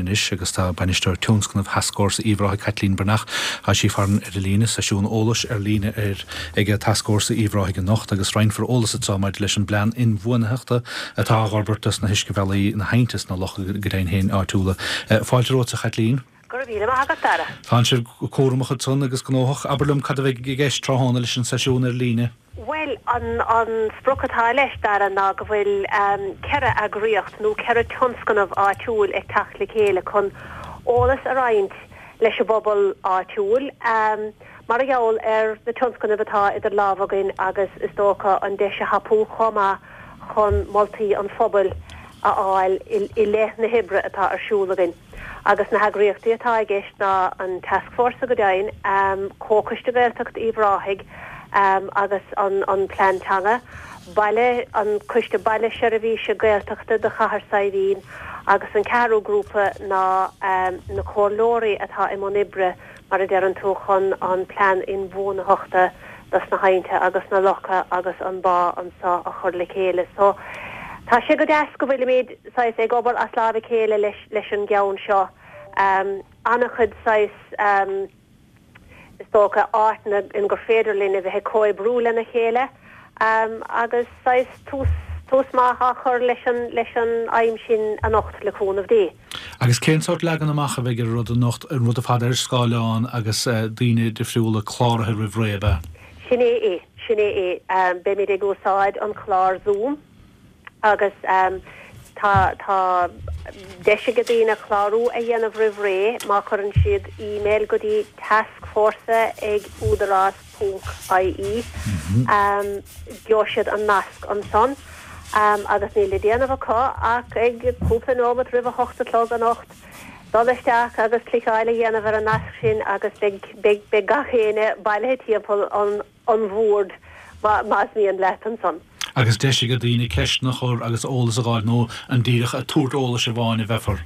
anois agus tá Bainisteoir Tionscnaimh Thascfhórsa Uíbh Ráthaigh Caitlín Breathnach, tá sí farainn ar an líne, seisiún eolais ar líne ar ag Tascfhórsa Uíbh Ráthaigh anocht agus roinnfear eolas anseo maidir leis an bplean inbhuanaitheachta atá á fhorbairt dos na huiscebhealaí, na haibhnte is na locha go deimhin féin áitiúla. Fáilte romhat a Chaitlín. Go raibh míle maith agat, Dara. Tánn sibh cúramach ansan agus gnóthach. Abair liom cad a bheidh i gceist tráthnóna leis an seisiún ar líne? Bhuel, an an sprioc atá leis, Dara, ná go bhfuil 4 eagraíocht nó 4 tionscnamh áitiúil ag teacht le chéile chun eolas a roinnt leis an bpobal áitiúil mar a gheall ar na tionscnaimh atá idir lámha againn agus is dócha an deis a thapú chomh maith chun moltaí an phobail a fháil i leith na hoibre atá ar siúl againn. Agus na heagraíochtaí atá i gceist ná an Tascfhórsa go deimhin, Comhchoiste Gaeltacht Uíbh Ráthaigh agus an Plean Teanga, Baile, an Coiste Baile Seirbhíse Gaeltachta do Chathair Saidhbhín agus an ceathrú grúpa ná na comhairleoirí atá i mbun oibre mar a deireann tú chun an Plean Inbhuanaitheachta dos na haibhnte agus na locha agus an bá anso a chur le chéile. So tá sé go deas go bhfuilimid saghas ag obair as láimh a chéile leis leis an gceann seo. An-chuid saghas is dócha áiteanna in gur féidir linn a bheith ag comhoibriú lena chéile agus saghas tús tús maith á chur leis an leis an aidhm sin anocht le cúnamh Dé. Agus cén sórt leagan amach a bheidh ar an rud anocht, an rud ar fad ar scáileán agus daoine difriúla cláraithe roimh ré, ab ea? Sin é é, sin é é. Beimid ag úsáid an clár Zoom agus tá, tá deis ag daoine clárú a dhéanamh roimh ré má chuireann siad email go dtí tascfhórsa ag údarás ponc ie. Gheobhaidh siad an nasc ansan agus níl le déanamh acu ach ag cúpla nóimeat roimh a hocht a chlog anocht dul isteach agus cliceáil a dhéanamh ar an nasc sin agus beidh, beidh, beidh gach éinne bailithe timpeall an, an bhoird más mian leat ansan. Agus deis ag daoine ceisteanna a chur agus eolas a fháil nó an díreach ag tabhairt eolais amháin a bheifear?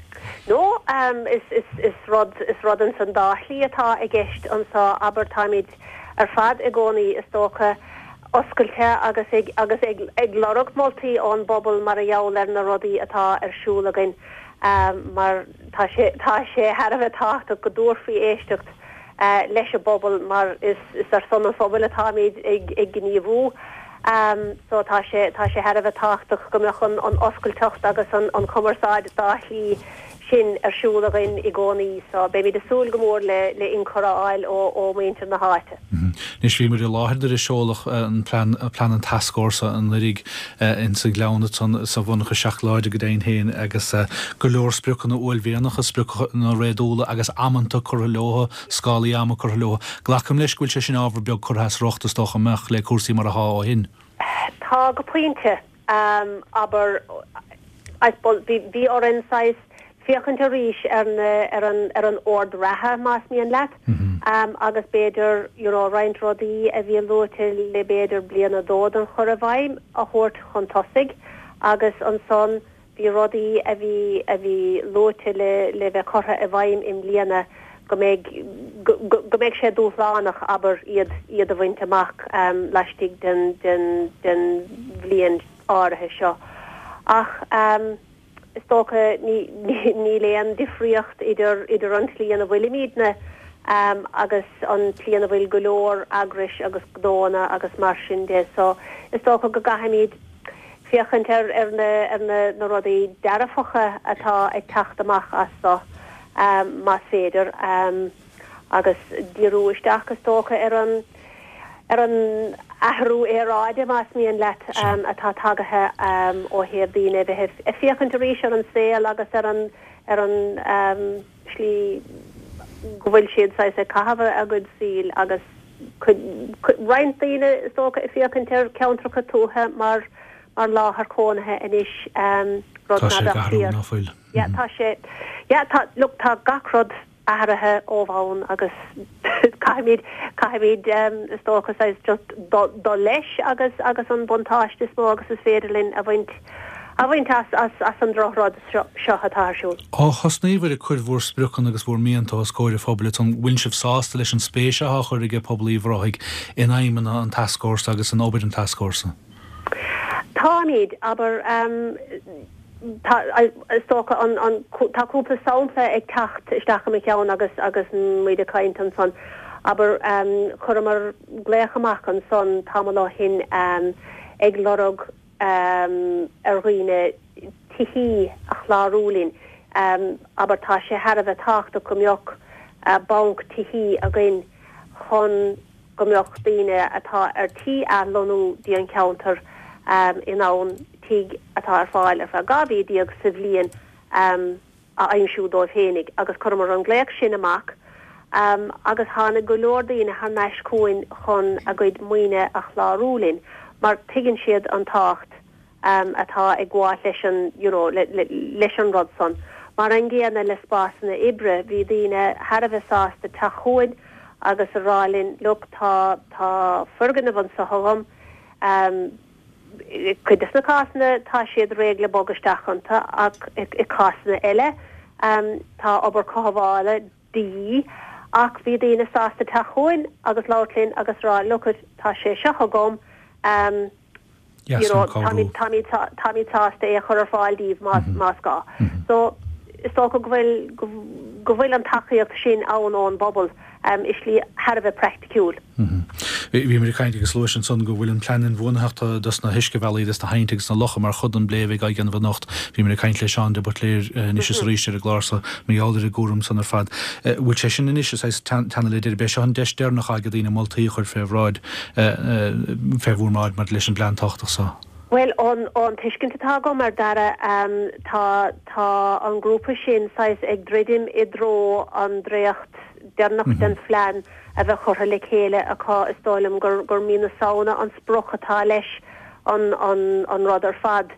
No, is, is, is rud, is rud ins an dá shlí atá i gceist anso, abair, táimid ar fad i gcónaí, is dócha, oscailte agus ag, agus ag, ag lorg moltaí ón bpobal mar a gheall ar na rudaí atá ar siúl againn, mar tá sé, tá sé thar a bheith tábhachtach go dtabharfaí éisteacht leis an bpobal mar is ar son an phobail atáimid ag gníomhú. So tá sé tá sé thar a bheith tábhachtach go mbeadh an oscailteacht agus an chumarsáid dá shlí sin ar siúl againn i gcónaí. So beimid ag súil go mór le le ionchur a fháil ó ó mhuintir na háite. Anois bhí muid i láthair nuair a seoladh an plean plean an Tascfhórsa anuraidh ins an Ghleann ansan sa mhonarcha seacláide go deimhin féin agus go leor spriocanna uaillmhianacha, spriocanna réadúla agus amanta curtha leo, scálaí ama curtha leo. Glacaim leis go bhfuil sé sin ábhar beag curtha as riocht is dócha, an mbeadh, le cúrsaí mar athá ó shin. Tá go pointe. Abair, I suppose, bhí orainn saghas féachaint arís ar na, ar an, ar an ord reatha, más mian leat, agus b'fhéidir, you know, roinnt rudaí a bhí luaite le b'fhéidir bliain nó dó don chur i bhfeidhm a thabhairt chun tosaigh agus ansan bhí rudaí a bhí, a bhí luaite le, le bheith curtha i bhfeidhm i mbliana go mbeidh, go, go, go mbeidh sé dúshlánach, abair, iad, iad a bhaint amach laistigh den, den, den bhliain áirithe seo. Ach. Is dócha, níl aon difríocht idir idir an tslí ina bhfuilimidne agus an tslí ina bhfuil go leor eagrais agus gnóanna agus mar sin de. So, is dócha go gcaithfimid féachaint ar ar na ar na na rudaí dearfacha atá ag teacht amach as so, más féidir. agus díriú isteach, is dócha, ar an ar an athrú aeráide, más mian leat, atá tagaithe ó thaobh daoine a bheith ag féachaint arís ar an saol agus ar an ar an slí go bhfuil siad saghas ag caitheamh a gcuid saoil agus cuid roinnt daoine, is dócha, ag féachaint ar ceantracha tuaithe mar mar láthair chónaithe anois, rud ná beadh fíor. Yeah, tá sé, yeah, tá, look, tá gach rud athraithe ó bhonn agus caithfimid, caithfimid is dócha saghas just dul leis agus, agus an buntáiste is mó agus is féidir linn a bhaint, a bhaint as, as, as an drochrud seo, seo atá ar siúl. Ó thosnaíobhair ag cur bhur spriocanna agus bhur mianta os comhair an phobail, an bhfuil sibh sásta leis an spéis athá á chur ag pobal Uíbh Ráthaigh in aidhmeanna an Tascfhórsa agus in obair an Tascfhórsa? Táimid, abair. Tá, is dócha, an, an, tá cúpla sampla ag teacht isteach i mo cheann agus, agus muid ag caint ansan. Abair, chuireamar glaoch amach ansan tamall ó shin ag lorg ar dhaoine tithí a chlárú linn. Abair, tá sé thar a bheith tábhachtach go mbeadh banc tithí againn chun go mbeadh daoine atá ar tí athlonnú dtí an cheantar in ann tigh atá ar fáil ar feadh 12 mhí sa bhliain a aimsiú dóibh féinig agus chuireamar an glaoch sin amach agus tháinig go leor daoine thar n-ais chugainn chun a gcuid maoine a chlárú linn mar tuigeann siad an tábhacht atá ag gabháil leis an, you know, leis an rud san. Mar an gcéanna le spásanna oibre, bhí daoine thar a bheith sásta teacht chugainn agus a rá linn, look, tá, tá foirgneamh anso agam, i gcuid des na cásanna tá siad réidh le bogadh isteach iontu ach i cásanna eile tá obair cothabhála de dhíth ach bhí daoine sásta teacht chugainn agus labhairt linn agus rá, look it, tá sé seo agam, you know, táimid, táimid, táimid sásta é a chur ar fáil daoibh más, más gá. So, is dócha go bhfuil, go bhfuil an tacaíocht sin ann ón bpobal i slí thar a bheith praiticiúil. Bhí muid ag caint agus luais ansan go bhfuil an plean inbhuanaitheachta dos na huiscebhealaí, dos na haibhnte agus na locha mar chuid den bplé a bheidh á dhéanamh anocht. Bhí muid ag caint le Seán de Buitléir anois is arís ar an gclár so mar gheall ar an gcúram san ar fad. Bhfuil sé sin anois, is é teannadh le deireadh, b'é seo an deis deireanach ag daoine moltaí a chur fé bhráid fé bhur mbráid maidir leis an bplean tábhachtach so? Bhuel, ón tuiscint atá agam ar Dara, tá, tá an grúpa sin saghas ag druidim i dtreo an dréacht deireanach den phlean a bheith curtha le chéile acu. Is dóigh liom gur, gur mí na Samhna an sprioc atá leis an, an, an rud ar fad.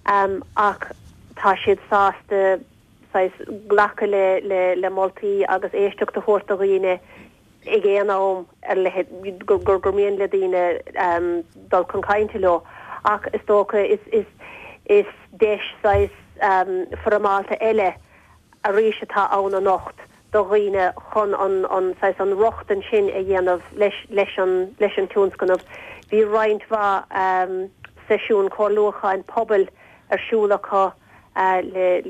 Ach tá siad sásta saghas glacadh le, le, le moltaí agus éisteacht a thabhairt do dhaoine ag aon am ar leith gur mian le daoine dul chun cainte leo ach is dócha is deis saghas foirmeálta eile arís atá ann anocht do dhaoine chun an saghas an rochtain sin a dhéanamh leis an leis an tionscnamh. Bhí roinnt mhaith seisiún comhairliúcháin pobail ar siúl acu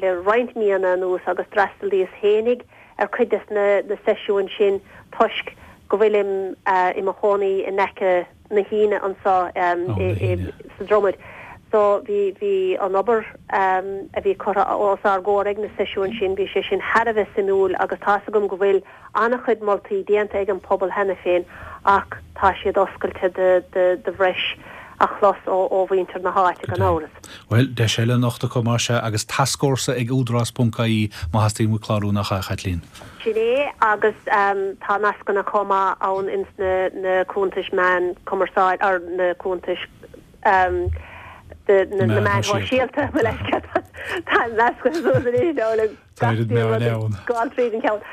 le roinnt míonna anuas agus d'fhreastalaíos fhéinig ar chuid des na seisiúin sin toisc go bhfuilim i mo chónaí in aice na hAibhne anso sa Dromaid. So bhí bhí an obair a bhí curtha os ár gcomhair ag na seisiúin sin, bhí sé sin thar a bheith suimiúil agus tá's agam go bhfuil an-chuid moltaí déanta ag an pobal cheana féin ach tá siad oscailte do bhreis a chlos ó mhuintir na háite gan amhras. Bhuel, deis eile anocht acu mar sea agus tascfhórsa ag údarás ponc ie má theastaíonn uait clárú nach ea, a Chaitlín? Sin é agus tá nascanna chomh maith ann ins na cuntais meán cumarsáid, or na cuntais na meáin shóisialta, mo leithscéal, tá nascanna suas arís le Tá oiread meáin ann. Gabháil tríd an cheann.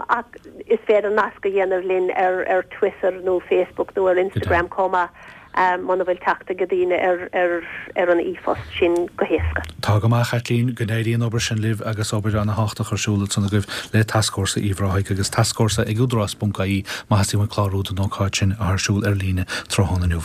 Ach is féidir nasc a dhéanamh linn ar Twitter nó Facebook nó ar Instagram chomh maith muna bhfuil teacht ag daoine ar an e-phost sin go héasca. Tá go maith, a Chaitlín, go n-éirí an obair sin libh agus obair ana-thábhachtach ar siúl ansan agaibh le Tascfhórsa Uíbh Ráthaigh agus Tascfhórsa ag údarás ponc ie má theastaíonn uait clárú don ócáid sin atá ar siúl ar líne tráthnóna inniu.